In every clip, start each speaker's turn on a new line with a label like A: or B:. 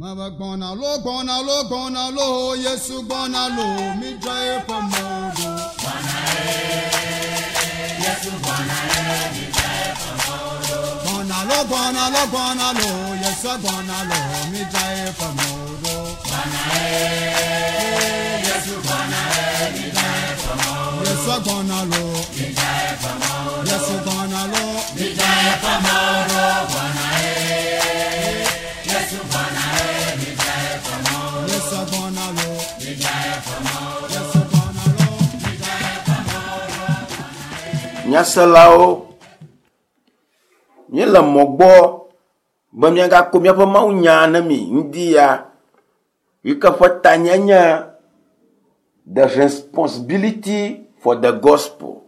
A: Mava gbɔna lo gbɔna lo gbɔna lo Yesu gbɔna lo mi dza eƒe mɔ ɖo. Gbɔna lo gbɔna lo gbɔna lo Yesu gbɔna lo mi dza eƒe mɔ ɖo. Yesu gbɔna lo Yesu gbɔna lo mi dza eƒe mɔ ɖo. Yesu gbɔna lo Yesu gbɔna lo mi dza eƒe mɔ ɖo.
B: Nyaselawo, míele mɔ gbɔ be míagako míaƒe mawunya ne mi ŋdi ya yi ke ƒe tanye nye The Responsibility for the Gospel.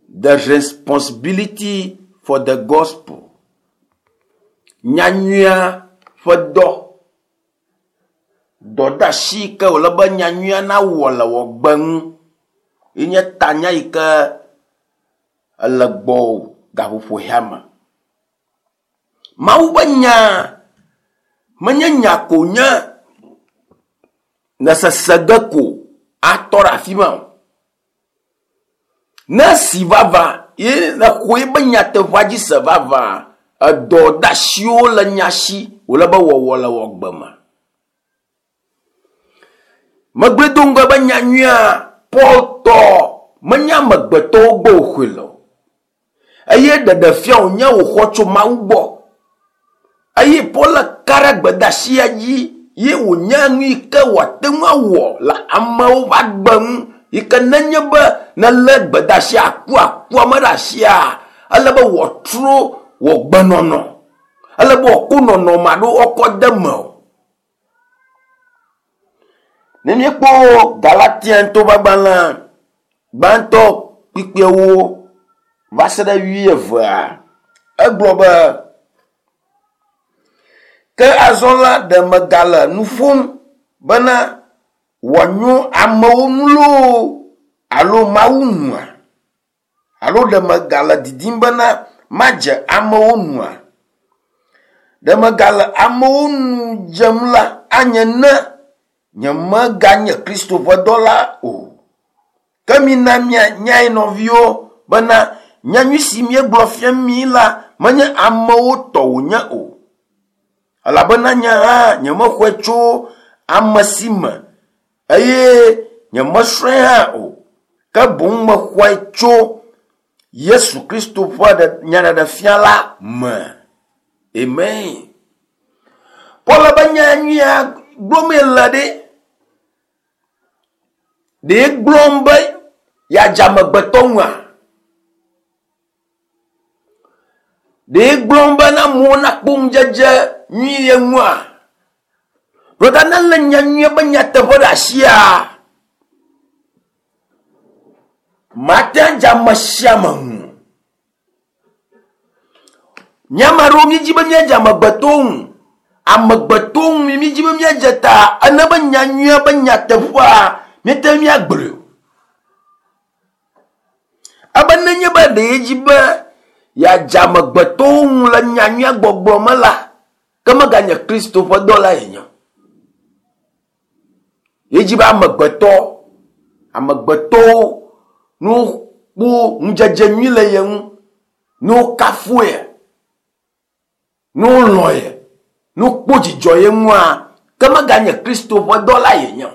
B: The Responsibility for the Gospel. Nyanyuia ƒe dɔ. Dɔdeasi yi ke wòle be nyanyuia nawɔ le wò gbe ŋu ye nye tanya yi ke ele gbɔwò gaƒoƒo ya me. Mawu ƒe nya menye nya ko nye nesese ge ko atɔ ɖe afi ma o. Ne esi vava ye nexɔ ebe nyateƒea dzi se vavã, edɔdeasiwo le nya si wòle be wɔwɔ le wò agbe me. Megblɔe do ŋgɔ be nyanyuia Paul tɔ menye amegbetɔwo gbɔ wòxɔe le o. Eye ɖeɖefia wònye wòxɔ tso Mawu gbɔ. Eye Paul ka ɖe gbedeasia dzi ye wònye nu yi ke wòate ŋu awɔ le amewo ƒe agbe ŋu yi ke nenye be nelé gbedeasia akuakua me ɖe asia, ele be wòatrɔ wò gbenɔnɔ. Ele be wòako nɔnɔme alo woakɔ de eme o. Ne míekpɔ Galatiantɔwo ƒe agbalẽ gbãtɔ kpukpuiawo va se ɖe wuievea, egblɔ be, Ke azɔ la, ɖe megale nu ƒom bena wòanyo amewo ŋu loo alo Mawu ŋua? Alo ɖe megale didim bena madze amewo nua? Ɖe megale amewo nu dzem la, anye ne nyemeganye Kristo ƒe dɔla o. Ke mina mianyae nɔviwo bena nyanyui si míegblɔ fia mi la menye amewo tɔ wònye o. Elabena nye hã nyemexɔe tso ame si me eye nyemesrɔ̃e hã o, ke boŋ mexɔe tso Yesu Kristo ƒe nyaɖeɖefia la me. Amen. Paul be nya nyuia gblɔmee le ɖe. Ɖe gblɔm be yeadze amegbetɔ ŋua? Ɖe gblɔm be na amewo nakpɔ ŋudzedze nyui ye ŋua? Brɔda ne lé nya nyuia be nyateƒe ɖe asia, mate ŋu adze ame sia ame ŋu. Mía ame aɖewo míedzi be míadze amegbetɔwo ŋu. Amegbetɔwo ŋu míedzi be míadze ta ene be nya nyuia be nyateƒea míete ŋu míagblɔe o. Ebe nenye be ɖe yedzi be yeadze amegbetɔwo ŋu le nya nyuia gbɔgblɔ me la, ke meganye Kristo ƒe dɔla yenye o. Yedzi be amegbetɔ, amegbetɔwo ne wokpɔ ŋudzedze nyui le ye ŋu, ne wokafu ye, ne wolɔ̃ ye, ne wokpɔ dzidzɔ ye ŋua, ke meganye Kristo ƒe dɔla yenye o.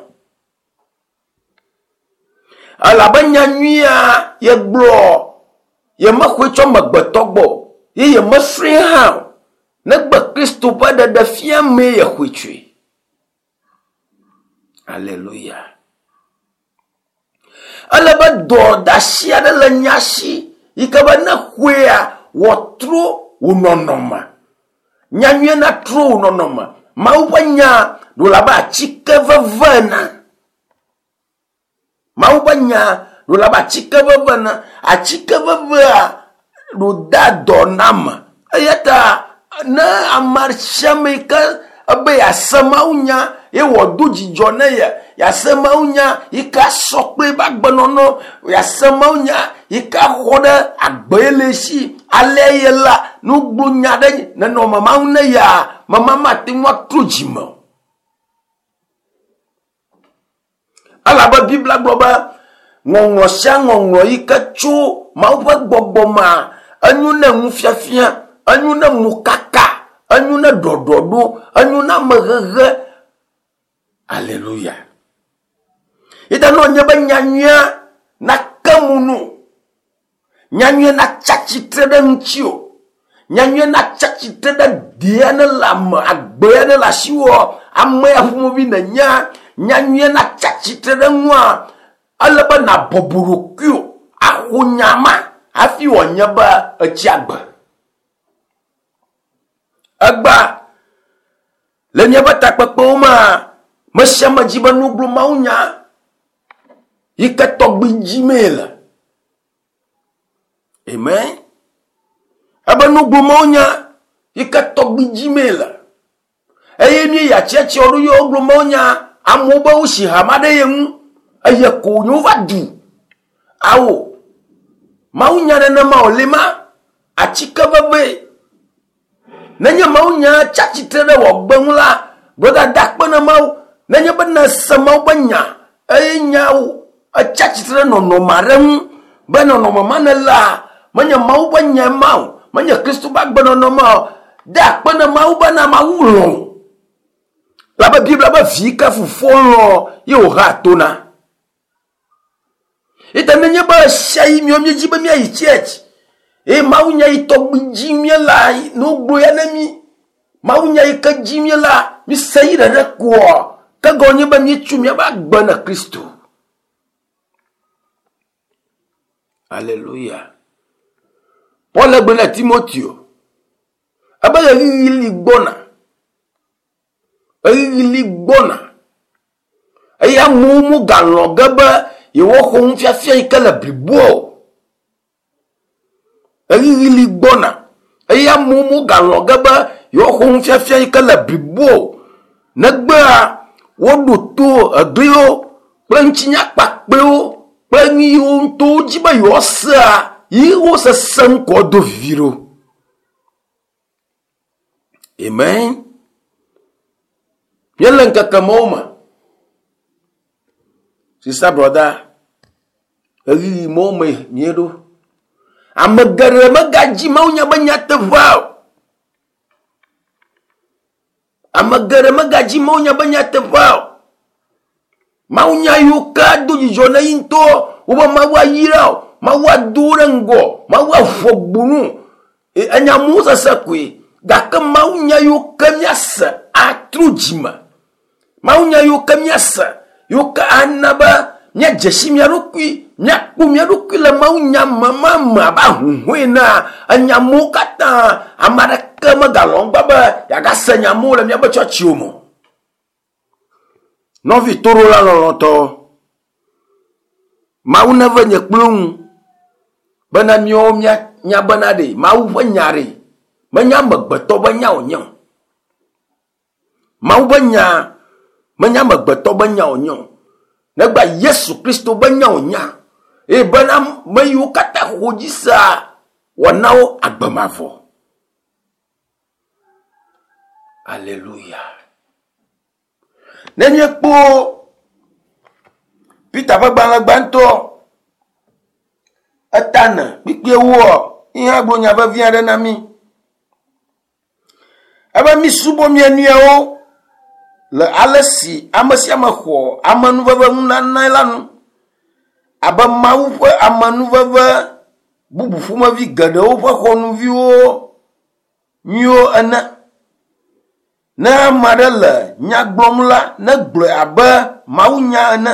B: Elabe nya nyuia yegblɔ yemexɔe tso amegbetɔ gbɔ o, ye yemesrɔ̃e hã o, negbe Kristo ƒe ɖeɖefia mee yexɔe tsoe. Aleluya. Ele be dɔdeasi aɖe le nya si yi ke be ne xɔea wòatrɔ wò nɔnɔme. Nya nyuie natrɔ wò nɔnɔme. Mawu ƒe nya ɖo le abe atike veve ene. Mawu ƒe nya ɖo le abe atike veve ene. Atike vevea ɖo dea dɔ na ame. Eya ta ne ame sia ame yi ke ebe yease Mawu nya, ye wòado dzidzɔ ne ye, yease mawunya yi ke asɔ kple eƒe agbenɔnɔ, yease mawunya yi ke axɔ ɖe agbe ye le esi. Alea ye la, ne wogblɔ nya ɖe nenɔme ma ŋu ne yea, mema mate ŋu atrɔ dzime o. Elabe Biblia gblɔ be ŋɔŋlɔ sia ŋɔŋlɔ yi ke tso Mawu ƒe gbɔgbɔ mea, enyo ne nufiafia, enyo ne mokaka, enyo ne ɖɔɖɔɖo, enyo ne amehehe. Aleluya. Yi ta ne wònye be nyanyuia nake mo no, Nyanyuie natsa tsitre ɖe ŋutiwò. Nyanyuie natsa tsitre ɖe dea ne le ame, agbea ne le asiwò, ame ya ƒomevi nènyea. Nyanyuie natsa tsitre ɖe ŋua, ele be nàbɔbɔ ɖokuiwò axɔ nya ma hafi wòanye be etsi agbe. Egbea, le míaƒe takpekpewo mea, me sia ame dzi be nuglo mawunya yi ke tɔgbi dzimee le. Amen. Ebe nuglo mawunya yi ke tɔgbi dzimee le. Eye míeyi atsiatsiawo ɖo ye woglo mawunya amewo be wosi hama ɖe ye ŋu eye ko wònye wova du. Ao, mawunya nenema wòli ma, atike vevee. Nenye mawunya tsi atsitre ɖe wò agbe ŋu la, brɔda da akpe na Mawu. Nenye be nèse Mawu ƒe nya eye nyawo etsi atsitre ɖe nɔnɔme aɖe ŋu be nɔnɔme ma nèlea, menye Mawu ƒe nyae ma o, menye Kristo ƒe agbenɔnɔ ma o. Da akpe na Mawu bena Mawu lɔ̃ wò. Elabe Biblia be vi ke fofoa lɔ̃ ye wòhea to na. Ete nenye be ɣesiaɣi míawo míedzi be míayi church eye mawunya yi tɔgbi dzi míelea, ne wogblɔ ya ne mí, mawunya yi ke dzi míelea, míse yi ɖeɖe koa, ke gɔme nye be míetso míaƒe agbe na Kristo. Aleluya. Paul gblɔ na Timoteo ebe ɣeyiɣi li gbɔna. Ɣeyiɣi li gbɔna. Eye amewo megalɔ̃ ge be yewoaxɔ nufiafia yi ke le blibo o. Ɣeyiɣi li gbɔna eye amewo megalɔ̃ ge be yewoaxɔ nufiafia yi ke le blibo o. Negbea woɖo to egliwo kple ŋutinya kpakpɛwo kple nu yiwo ŋutɔ wodzi be yewoasea yi wosese ŋkɔ do vivi ɖo. Amen. Míele ŋkeke mawo me. Sista brɔda, ɣeyiɣi mawo me míeɖo. Ame geɖe megadzi mawunya be nyateƒea o. Ame geɖe megadzi mawunya be nyateƒea o. Mawunya yiwo ke ado dzidzɔ na yi ŋutɔ wobe Mawu ayra o, Mawu ado wo ɖe ŋgɔ, Mawu aʋu gbunu. Enya amewo sese koe. Gake mawunya yiwo ke míase atro dzime. Mawunya yiwo ke míase yiwo ke ana be míadze si mía ɖokui, míakpɔ mía ɖokui le mawunya me ma me abe ahuhɔ̃e enea, enya mawo katã ame aɖeke megalɔ̃ gbã be yeagase nya mawo le míaƒe tsɔtsiwo me o. Nɔvi toɖola lɔlɔ̃tɔ, Mawu neve nye kple ŋu bena míawo míanya bena ɖe Mawu ƒe nya ɖe menye amegbetɔ ƒe nya wònye o. Mawu ƒe nya menye amegbetɔ ƒe nya wònye o. Negba Yesu Kristo ƒe nya wònya eye bena ame yiwo katã xɔ dzi sea wòana wo agbe mavɔ. Aleluya. Ne míekpɔ Peter ƒe gbalẽ gbãtɔ etane kpikpiewoa, yi hã gblɔ nya vevi aɖe na mí. Ebe mísubɔ mía nɔewo le ale si ame sia ame xɔ amenuveve nunanae la nu abe Mawu ƒe amenuveve bubu ƒomevi geɖewo ƒe xɔnuviwo nyuiwo ene. Ne ame aɖe le nya gblɔm la, negblɔe abe mawunya ene.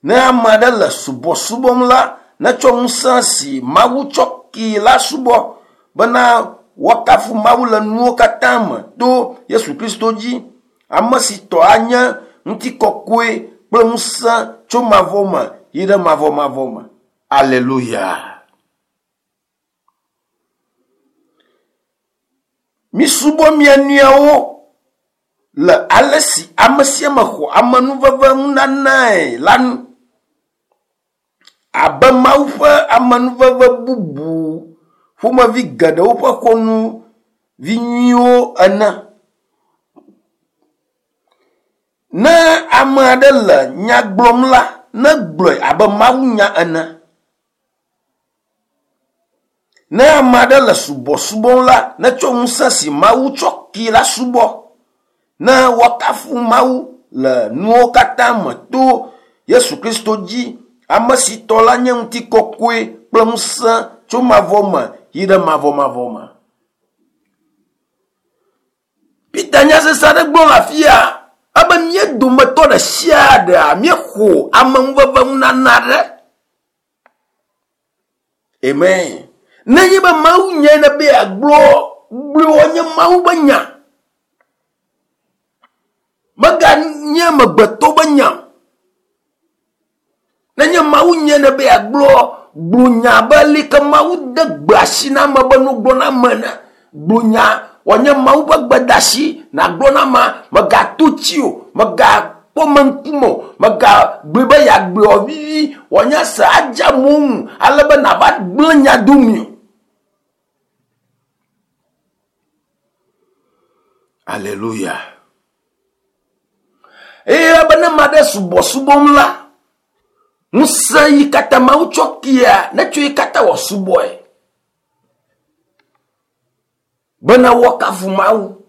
B: Ne ame aɖe le subɔsubɔm la, netsɔ ŋusẽ si Mawu tsɔ kee la subɔ bena woakafu Mawu le nuwo katã me to Yesu Kristo dzi, ame si tɔ anye ŋutikɔkɔe kple ŋusẽ tso mavɔ me yi ɖe mavɔmavɔ me. Aleluya! Misubɔ mia nɔewo le ale si ame sia ame xɔ amenuveve nunanae la nu. Abe Mawu ƒe amenuveve bubu ƒomevi geɖewo ƒe xɔnuvi nyuiwo ene. Ne ame aɖe le nya gblɔm la, negblɔe abe mawunya ene. Ne ame aɖe le subɔsubɔm la, netsɔ ŋusẽ si Mawu tsɔ kee la subɔ. Ne woakafu Mawu le nuwo katã me to Yesu Kristo dzi, ame si tɔ la nye ŋutikɔkɔe kple ŋusẽ tso mavɔ me yi ɖe mavɔmavɔ me. Peter nya sesẽ aɖe gblɔ le afia ebe mía dometɔ ɖe sia ɖea míexɔ amenuveve nunana aɖe. Amen. Nenye be Mawu nyae ne be yeagblɔ gblɔe nye Mawu be nya. Meganye amegbetɔ be nya. Nenye Mawu nyae ne be yeagblɔ gblɔ nya be leke Mawu de gbe asi na ame be nu gblɔ na ame ene. Gblɔ nya wòanye Mawu ƒe gbedeasi nàgblɔ na amea. Mègato tsi o, mègakpɔ ame ŋkume o, mègagblɔe be yeagblɔe wòavivi wòanye se adze amewo ŋu ale be nàva gblẽ nya domii o. Aleluya. Eye be ne ame aɖe subɔsubɔm la, ŋusẽ yi katã Mawu tsɔ kea, netsɔ yi katã wòasubɔe. Bena woakafu Mawu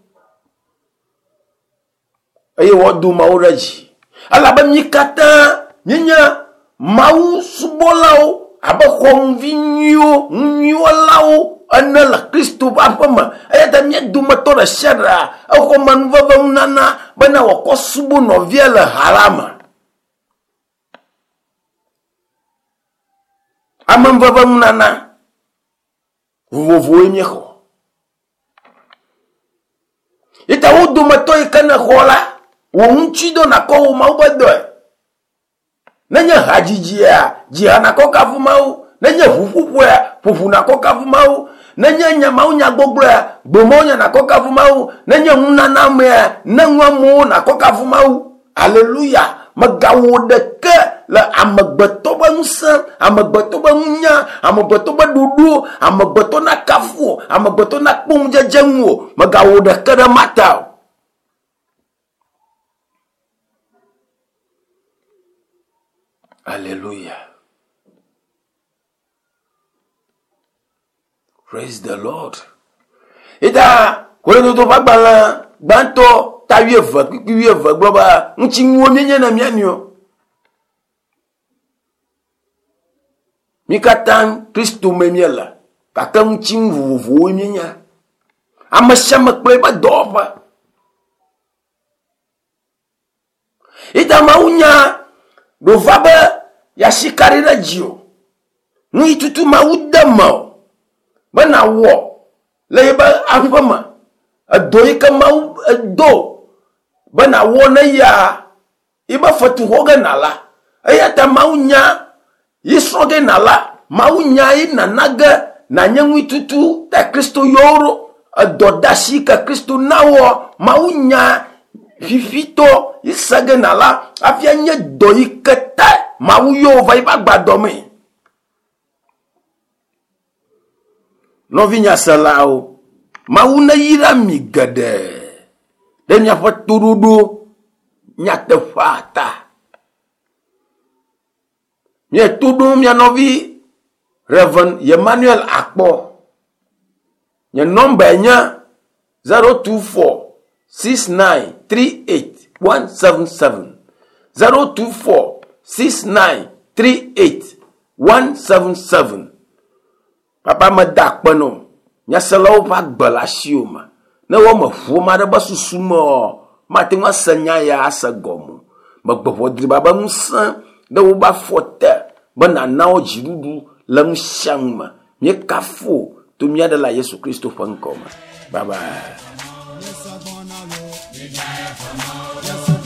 B: eye woado Mawu ɖe dzi. Elabe mí katã míenye Mawu subɔlawo abe xɔnuvi nyuiwo, nunyuiwɔlawo ene le Kristo ƒe aƒe me. Eya ta mía dometɔ ɖe sia ɖea, exɔ amenuveve nunana bena wòakɔ subɔ nɔvia le ha la me. Amenuveve nunana vovovowoe míexɔ. Yi ta wo dometɔ yi ke nèxɔ la, wò ŋuti dɔ nàkɔ wò Mawu ƒe dɔe. Nenye hadzidzia, dzi ha nàkɔ kafu Mawu. Nenye ʋuƒoƒoea, ƒo ʋu nàkɔ kafu Mawu. Nenye nya Mawu nyagbɔgblɔea, gblɔ Mawu nya nàkɔ kafu Mawu. Nenye nunana amea, ne nu amewo nàkɔ kafu Mawu. Aleluya! Mègawɔ ɖeke le amegbetɔ ƒe ŋusẽ, amegbetɔ ƒe nunya, amegbetɔ ƒe ɖoɖo, amegbetɔ nakafu wò, amegbetɔ nakpɔ ŋudzedze ŋu o. Mègawɔ ɖeke ɖe ema ta o. Aleluya. Praise the Lord. Ita Korintoto ƒe agbalẽ gbãtɔ ta wuieve kpukpui wuieve gblɔ be ŋutinuwo míenye na mía nɔewo. Mí katã Kristo me míele gake ŋutinu vovovowoe míenye. Ame sia ame kple eƒe dɔwɔƒe. Ita Mawu nya ɖo va be yeasi ka ɖi ɖe dzi o. Nu yi tutu Mawu de me o be nàwɔ le yeƒe aƒe me. Edɔ yi ke Mawu do be nàwɔ ne yia yibe fetu xɔ ge nàla. Eya ta Mawu nya yi srɔ̃ ge nàla. Mawu nya yi nana ge nànye ŋuitutu ta Kristo yɔ wo ɖo. Edɔdeasi yi ke Kristo na woa, Mawu nya fifitɔ yi se ge nàla hafi anye dɔ yi ke ta Mawu yɔ wò va yiƒe agbadɔ mee. Nɔvinyaselawo, Mawu neyra mi geɖe ɖe miaƒe toɖoɖo nyateƒea ta. Míeto ɖom mia nɔvi Rev. Emmanuel Akpɔ. Nye nɔmbae nye 024 69 38 177. 024 69 38 177. Papa meda akpe nɔ nyaselawo ƒe agbe le asiwò me. Ne woame ʋu ame aɖe ƒe susu me ɔ, mate ŋu ase nya ya ase gɔme o. Megbe ʋɔ driba be ŋusẽ ɖe woƒe afɔ te be nàna wo dziɖuɖu le nu sia nu me. Míekafu wò to mía Ɖela Yesu Kristo ƒe ŋkɔ me. Bye bye.
A: Yesu